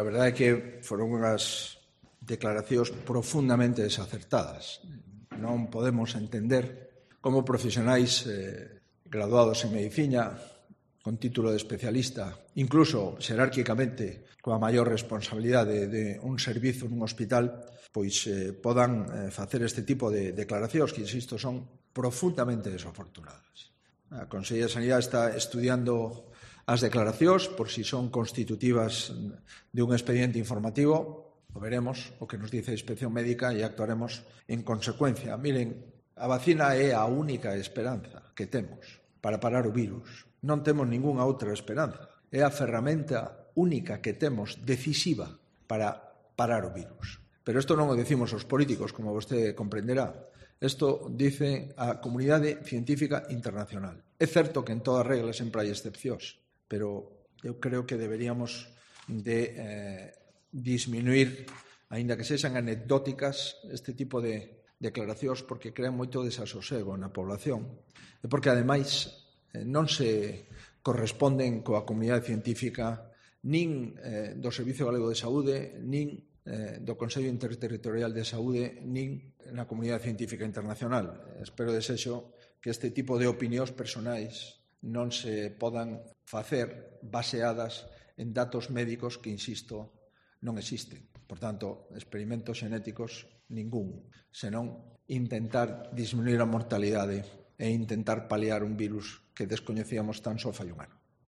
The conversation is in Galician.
A verdade é que foron unhas declaracións profundamente desacertadas. Non podemos entender como profesionais graduados en medicina, con título de especialista, incluso xerárquicamente coa maior responsabilidade de un servizo nun hospital, pois podan facer este tipo de declaracións que, insisto, son profundamente desafortunadas. A Consellería de Sanidade está estudiando as declaracións por si son constitutivas de un expediente informativo. O veremos o que nos dice a Inspección Médica e actuaremos en consecuencia. Miren, a vacina é a única esperanza que temos para parar o virus. Non temos ningunha outra esperanza. É a ferramenta única que temos decisiva para parar o virus. Pero isto non o decimos os políticos, como vostede comprenderá. Isto dice a comunidade científica internacional. É certo que en toda regla sempre hai excepcións, pero eu creo que deberíamos de disminuir, aínda que sexan anecdóticas, este tipo de declaracións porque crean moito desasosego na población e porque, ademais, non se corresponden coa comunidade científica nin do Servicio Galego de Saúde, nin do Consello Interterritorial de Saúde, nin na comunidade científica internacional. Espero desexo que este tipo de opinións personais non se podan facer baseadas en datos médicos que, insisto, non existen. Por tanto, experimentos xenéticos ningún, senón intentar disminuir a mortalidade e intentar paliar un virus que descoñecíamos tan só fai un ano.